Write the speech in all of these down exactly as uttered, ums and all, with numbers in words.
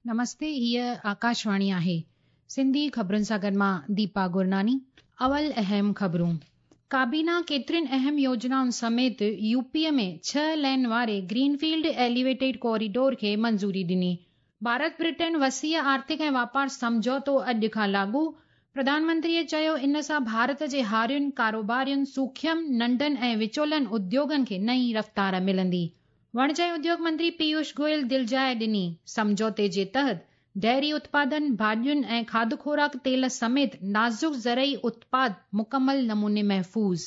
نمستي، هيء آڪاشواڻي آهي. سنڌي خبرن سان گڏ مان ديپا گرناني. اول اهم خبرون. ڪابينا ڪيترين اهم يوجنائن سميت يوپيء ۾ ڇهه لين واري گرين فيلڊ ايليويٽيڊ ڪوريڊور کي منظوري ڏني. ڀارت برٽن وسيع آرٿڪ ۽ واپار سمجهوتو اڄ کان لاڳو. پرڌان منتريء چيو ان سان ڀارت جي هارين، ڪاروبارين، سوکيم، ننڍن ۽ وچولن اديوگن کي نئين رفتار ملندي. وڻج ۽ اديوگ منتري پيوش گويل دلجاءِ ڏني. سمجهوتي جي تحت ڊيري اتپادن، ڀاڄين ۽ کاڌ خوراڪ تيل سميت نازڪ زرعي اتپاد مڪمل نموني محفوظ.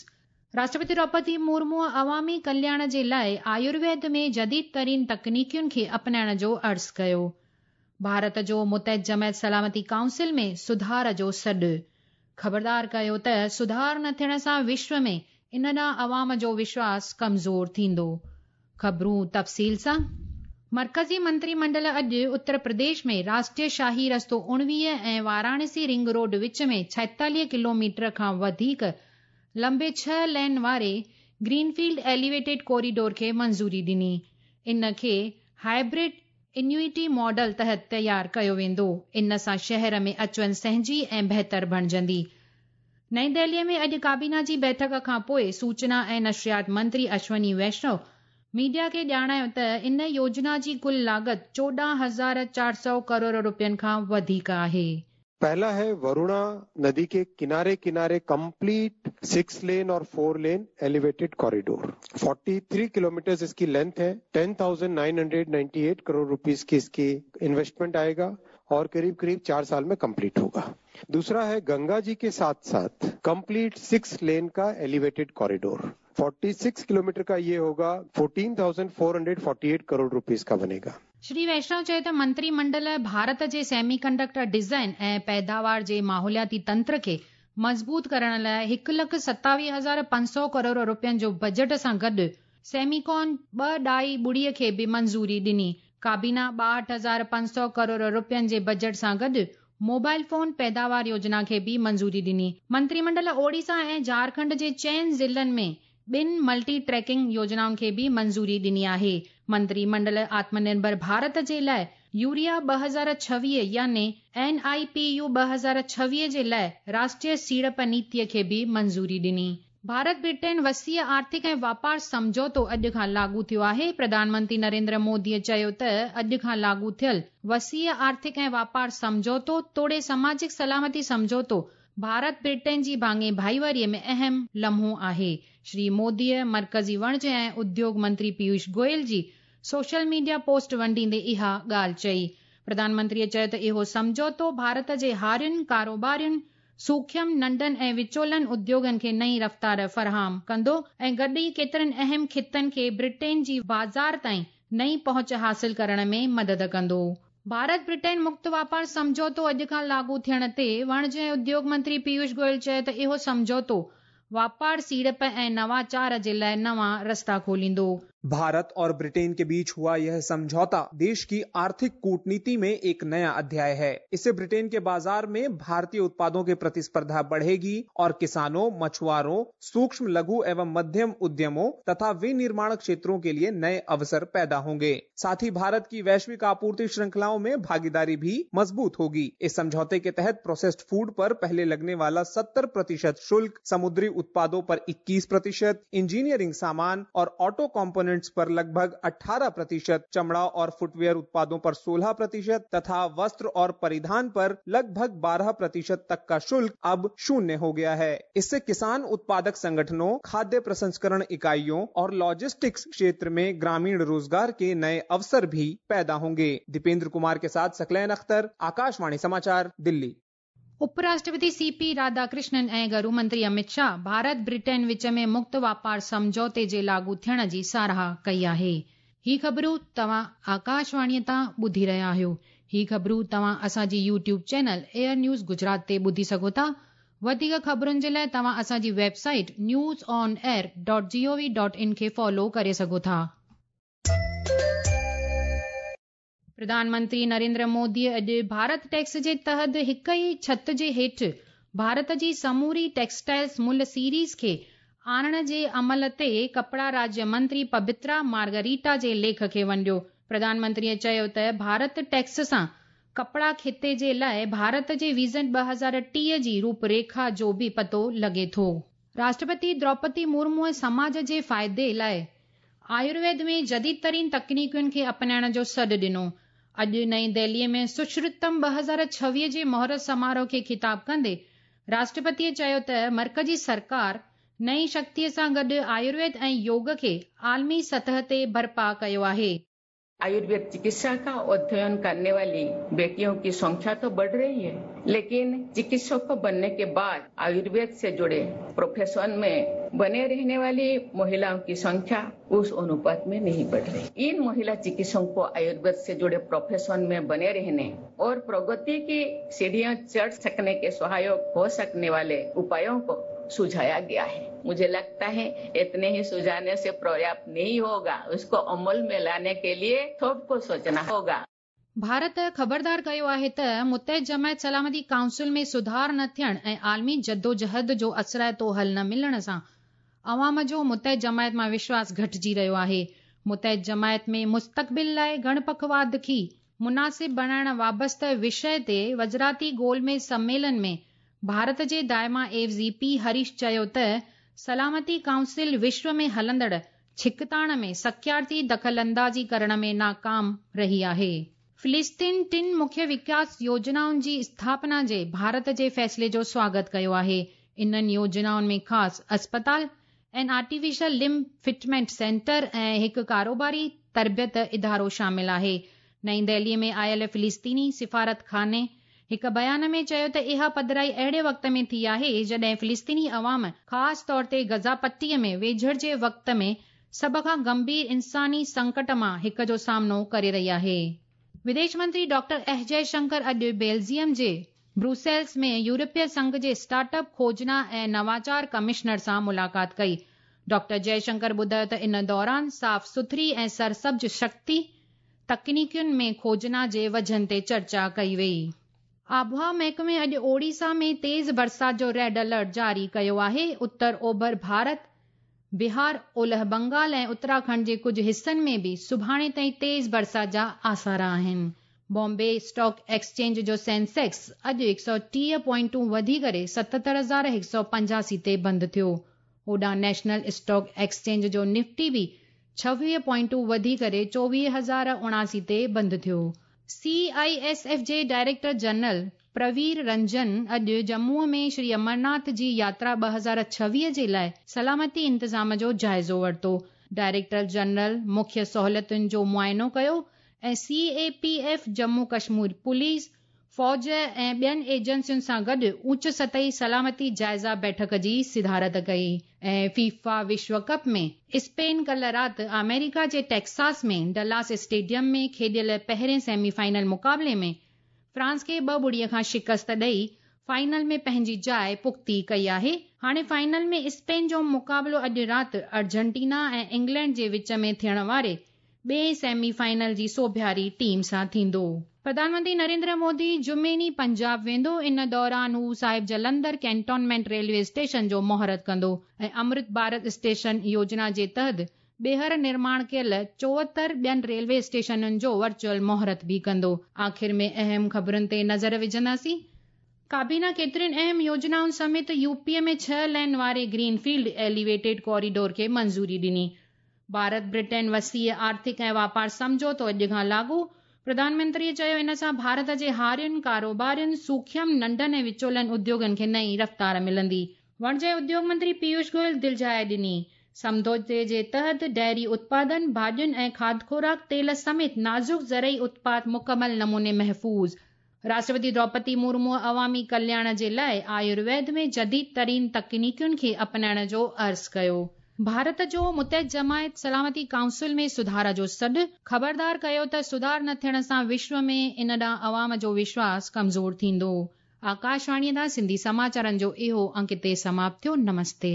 راشٽرپتي دروپدي مرموءَ عوامي ڪلياڻ جي لاءِ آيورويد ۾ جديد ترين تڪنيڪين کي اپنائڻ جو عرض ڪيو. ڀارت جو متحده جماعت سلامتي ڪائونسل ۾ سڌار جو سڏ. خبردار ڪيو ته سڌار نه ٿيڻ سان وشو ۾ ان ڏانهن عوام جو وشواس ڪمزور ٿيندو. خبرون تفصيل سان. مرڪزي منتري منڊل اڄ اتر پرديش ۾ راشٽريه شاهي رستو اڻويهه ۽ واراڻسي رنگ روڊ وچ ۾ ڇائيتاليهه ڪلوميٽر کان وڌيڪ لمبي ڇهه لين واري گرين فيلڊ ايليويٽيڊ ڪوريڊور کي منظوري ڏني. ان کي هائبرڊ انيوئٽي ماڊل تحت تيار ڪيو ويندو. ان سان شهر ۾ اچ وڃ سهنجي ۽ بهتر بڻجندي. نئين دهليءَ ۾ اڄ ڪابينا جي بيٺڪ کان پوءِ سوچنا ۽ نشريات منتري اشوني ويشنو ميڊيا کي ڄاڻايو ته ان يوجنا جي ڪل لاڳت چوڏهن هزار چار سؤ ڪروڙ रुपयनि खां वधीक आहे। पहला है वरुणा नदी के किनारे किनारे कंप्लीट सिक्स लेन और फोर लेन एलिवेटेड कॉरिडोर। तैंतालीस किलोमीटर इसकी लेंथ है। Ten thousand nine hundred ninety eight crore rupees की इसकी इन्वेस्टमेंट आएगा और करीब करीब चार साल में कंप्लीट होगा। दूसरा है गंगा जी के साथ साथ कंप्लीट सिक्स लेन का एलिवेटेड कॉरिडोर। छियालीस किलोमीटर का ये होगा, चौदह हज़ार चार सौ अड़तालीस करोड़ रुपीस का बनेगा। श्री वैष्णव चयो त मंत्रीमंडल भारत जे सेमीकंडक्टर डिज़ाइन ऐं पैदावार जे माहौलियाती तंत्र खे मज़बूत करण लाइ हिकु लख सतावीह हज़ार पंज सौ करोड़ रुपयनि जो बजट सां गॾु सेमीकॉन ॿ ॾाई ॿुड़ीअ खे बि मंज़ूरी ॾिनी। काबीना ॿाहठि हज़ार पंज सौ करोड़ रुपयनि जे बजट सां गॾु मोबाइल फोन पैदावार योजना खे बि मंज़ूरी ॾिनी। मंत्रीमंडल ओडिशा ऐं झारखंड जे चइनि ज़िलनि में ॿिनि मल्टी ट्रैकिंग योजनाउनि खे बि मंज़ूरी ॾिनी आहे। मंत्रीमंडल आत्मनिर्भर भारत जे लाइ यूरिया ॿ हज़ार छवीह यानी एन I P U ॿ हज़ार छवीह जे लाइ राष्ट्रीय सीड़प नीतीअ खे बि मंज़ूरी ॾिनी। भारत ब्रिटेन वसीअ आर्थिक ऐं वापार सम्झौतो अॼु खां लागू थियो आहे। प्रधानमंत्री नरेंद्र मोदीअ चयो त अॼु खां लागू थियल वसीअ आर्थिक ऐं वापार सम्झौतो तोड़े समाजिक सलामती सम्झौतो भारत ब्रिटेन जी भाङे भाईवारीअ में अहम लम्हो आहे। श्री मोदीअ मर्कज़ी वणज ऐं उद्योग मंत्री पीयूष गोयल जी सोशल मीडिया पोस्ट वंडींदे इहा ॻाल्हि चई। प्रधानमंत्रीअ चयो त इहो सम्झौतो भारत जे हारियुनि, कारोबारियुनि, सूखम, नंढनि ऐं विचोलनि उद्योगनि खे नई रफ़्तार फराहम कंदो ऐं गॾु ई केतिरनि अहम ख़ितनि खे ब्रिटेन जी बाज़ार ताईं नई पहुच हासिल करण में मदद कंदो। भारत ब्रिटेन मुक्त वापार सम्झौतो अॼु खां लागू थियण ते वणज ऐं उद्योग मंत्री पीयूष गोयल चयो त इहो सम्झौतो वापार, सीड़प ऐं नवाचार जे लाइ नवां रस्ता खोलींदो। भारत और ब्रिटेन के बीच हुआ यह समझौता देश की आर्थिक कूटनीति में एक नया अध्याय है। इससे ब्रिटेन के बाजार में भारतीय उत्पादों की प्रतिस्पर्धा बढ़ेगी और किसानों, मछुआरों, सूक्ष्म, लघु एवं मध्यम उद्यमों तथा विनिर्माण क्षेत्रों के लिए नए अवसर पैदा होंगे। साथ ही भारत की वैश्विक आपूर्ति श्रृंखलाओं में भागीदारी भी मजबूत होगी। इस समझौते के तहत प्रोसेस्ड फूड पर पहले लगने वाला सत्तर प्रतिशत शुल्क, समुद्री उत्पादों पर इक्कीस प्रतिशत, इंजीनियरिंग सामान और ऑटो कॉम्पोनेंट पर लगभग अठारह प्रतिशत, चमड़ा और फुटवेयर उत्पादों पर सोलह प्रतिशत तथा वस्त्र और परिधान पर लगभग बारह प्रतिशत तक का शुल्क अब शून्य हो गया है। इससे किसान उत्पादक संगठनों, खाद्य प्रसंस्करण इकाइयों और लॉजिस्टिक्स क्षेत्र में ग्रामीण रोजगार के नए अवसर भी पैदा होंगे। दीपेंद्र कुमार के साथ सकलैन अख्तर, आकाशवाणी समाचार, दिल्ली। उपराष्ट्रपति सीपी राधाकृष्णन ऐं गृह मंत्री अमित शाह भारत ब्रिटेन विच में मुक्त वापार सम्झौते जे लागू थियण जी साराह कई आहे। ही ख़बरूं तव्हां आकाशवाणीअ तां ॿुधी रहिया आहियो। ही ख़बरूं तव्हां असांजी YouTube channel air news Gujarat ते ॿुधी सघो था। वधीक ख़बरुनि जे लाइ तव्हां असांजी website news on air dot G O V dot in खे फॉलो करे सघो था। प्रधानमंत्री नरेंद्र मोदी अॼु भारत टैक्स जे तहत हिकु ई छत जे हेठि भारत जी समूरी टेक्सटाइल्स मुल सीरीज़ खे आणण जे अमल ते कपड़ा राज्य मंत्री पबित्रा मार्गरीटा जे लेख खे वंडियो। प्रधानमंत्रीअ चयो त भारत टैक्स सां ڪپڙا خطي جي لاءِ ڀارت جي ويزن ٻه هزار ٽيهه جي روپريکا جو به پتو لڳي ٿو. راشٽرپتي دروپدي مرموءَ سماج جي فائدي لاءِ آيورويد ۾ جديد ترين تڪنيڪن کي اپنائڻ جو سڏ ڏنو. اڄ نئين دهليءَ ۾ سشرتم ٻه هزار ڇويهه جي مهورت سماروهه کي خطاب ڪندي راشٽرپتيءَ چيو ته مرڪزي سرڪار نئين شڪتيءَ سان گڏ آيورويد ۽ يوگ کي عالمي سطح تي برپا ڪيو آهي. आयुर्वेद चिकित्सा का अध्ययन करने वाली बेटियों की संख्या तो बढ़ रही है, लेकिन चिकित्सक बनने के बाद आयुर्वेद से जुड़े प्रोफेशन में बने रहने वाली महिलाओं की संख्या उस अनुपात में नहीं बढ़ रही। इन महिला चिकित्सकों को आयुर्वेद से जुड़े प्रोफेशन में बने रहने और प्रगति की सीढ़ियां चढ़ सकने के सहायक हो सकने वाले उपायों को सुझाया गया है। मुझे लगता है इतने ही सुझाने से पर्याप्त नहीं होगा, उसको अमल में लाने के लिए सबको सोचना होगा। भारत ख़बरदार कयो आहे त मुतहिद जमायत सलामती काउंसिल में सुधार न थियण ऐं आलमी जदोजहद जो असराइतो हल न मिलण सां अवाम जो मुतहिद जमायत मां विश्वास घटिजी रहियो आहे। मुतहिद जमायत में मुस्तक़बिल लाइ गणपखवाद खे मुनासिब बणाइण वाबस्ता विषय ते वज़राती गोलमेज़ सम्मेलन में भारत जे दायमा एवज़ी पी हरीश चयो त सलामती काउंसिल विश्व में हलंदड़ छिकताण में सख्यार्थी दख़ल अंदाज़ी करण में नाकाम रही आहे। फिलिस्तीन टिनि मुख्य विकास योजनाउनि जी स्थापना जे भारत जे फ़ैसिले जो स्वागत कयो आहे। इन्हनि योजनाउनि में ख़ासि अस्पताल ऐं आर्टिफिशियल लिम्ब फिटमेंट सेंटर ऐं हिकु कारोबारी तरबियत इदारो शामिल आहे। नई दिल्लीअ में आयल फिलिस्तीनी सिफारत खाने हिकु बयान में चयो त इहा पधराई अहिड़े वक़्त में थी आहे जॾहिं फिलिस्तीनी अवाम ख़ासि तौर ते गज़ा पट्टीअ में वेझड़ जे वक़्त में सभ खां गंभीर इंसानी संकट मां हिक जो सामनो करे रही आहे। विदेश मंत्री डॉक्टर एस जयशंकर अॼु बेल्जियम जे ब्रुसेल्स में यूरोपीय संघ जे स्टार्टअप खोजना ऐं नवाचार कमिश्नर सां मुलाक़ात कई। डॉक्टर जयशंकर ॿुधायो त इन दौरान साफ़ सुथरी ऐं सरसब्ज़ शक्ति तकनीकियुनि में खोजना जे वजन ते चर्चा कई वई। आबहावा महकमे अॼु ओडिशा में तेज़ बरसाति जो रेड अलर्ट जारी कयो आहे। उत्तर ओभर भारत, बिहार, ओलह बंगाल ऐं उत्तराखंड जे कुझु हिसनि में बि सुभाणे ताईं तेज़ बरसाति जा आसार आहिनि। बॉम्बे स्टॉक एक्सचेंज जो सेंसेक्स अॼु हिकु सौ टीह पॉइंटूं वधी करे सतहतरि हज़ार हिकु सौ पंजासी ते बंदि थियो। होॾां नेशनल स्टॉक एक्सचेंज जो निफ्टी बि छवीह पॉइंटूं वधी करे चोवीह हज़ार उणासी ते बंदि थियो। सी I S F जे डायरेक्टर जनरल प्रवीर रंजन अॼु जम्मूअ में श्री अमरनाथ जी यात्रा ॿ हज़ार छवीह जे लाइ सलामती इंतज़ाम जो जाइज़ो वरितो। डायरेक्टर जनरल मुख्य सहूलियतुनि जो मुआइनो कयो ऐं C A P F, Jammu Kashmir police, फ़ौज ऐं ॿियनि एजेंसियुनि सां गॾु ऊच सतही सलामती जाइज़ा बैठक जी सिदारत कई। ऐं फीफा विश्व कप में स्पेन कल राति अमेरिका जे टेक्सास में डलास स्टेडियम में खेॾियल पहिरें सेमीफाइनल मुक़ाबले में फ्रांस खे ॿ ॿुड़ीअ खां शिकस्त ॾेई फाइनल में पंहिंजी जाइ पुख़्ती कई आहे। हाणे फाइनल में स्पेन जो मुक़ाबिलो अॼु राति अर्जेंटीना ऐं इंग्लैंड जे विच में थियण वारे ॿिए सेमीफाइनल जी सोभियारी टीम सां थींदो। प्रधानमंत्री नरेंद्र मोदी जुमे ॾींहुं पंजाब वेंदो। इन दौरान हू साहिब जलंधर कैंटोनमेंट रेलवे स्टेशन जो मुहूर्त कंदो ऐं अमृत भारत स्टेशन योजना जे तहत ॿीहर निर्माण कयल चोहतरि ॿियनि रेलवे स्टेशनुनि जो वर्चुअल मुहूर्त बि कंदो। आख़िर में अहम ख़बरुनि ते नज़र विझंदासीं। काबीना केतिरियुनि अहम योजनाउनि समेत यूपीअ में छह लेन वारे ग्रीनफील्ड एलिवेटेड कॉरिडोर खे मंज़ूरी ॾिनी। भारत ब्रिटेन वसीअ आर्थिक ऐं वापार सम्झौतो अॼु खां लागू। प्रधानमंत्रीअ चयो इन सां भारत जे हारियुनि, कारोबारियुनि, सूखम, नंढनि ऐं विचोलनि उद्योगनि खे नई रफ़्तार मिलंदी। वणिज ऐं उद्योग मंत्री पीयूष गोयल दिलजाए ॾिनी। सम्झौते जे तहत डेयरी उत्पादन, भाॼियुनि ऐं खाद खुराक, तेल समेत नाज़ुक ज़रई उत्पाद मुकमल नमूने महफ़ूज़। राष्ट्रपति द्रौपदी मुर्मू अवामी कल्याण जे लाइ आयुर्वेद में जदीद तरीन तकनीकियुनि खे अपनाइण जो अर्ज़ु कयो। भारत जो मुतहिद जमायत सलामती काउंसिल में सुधार जो सॾु, ख़बरदार कयो त सुधार न थियण सां विश्व में इन ॾांहुं अवाम जो विश्वास कमज़ोर थींदो। आकाशवाणीअ तां सिंधी समाचारनि जो इहो अंक हिते समाप्त थियो। नमस्ते।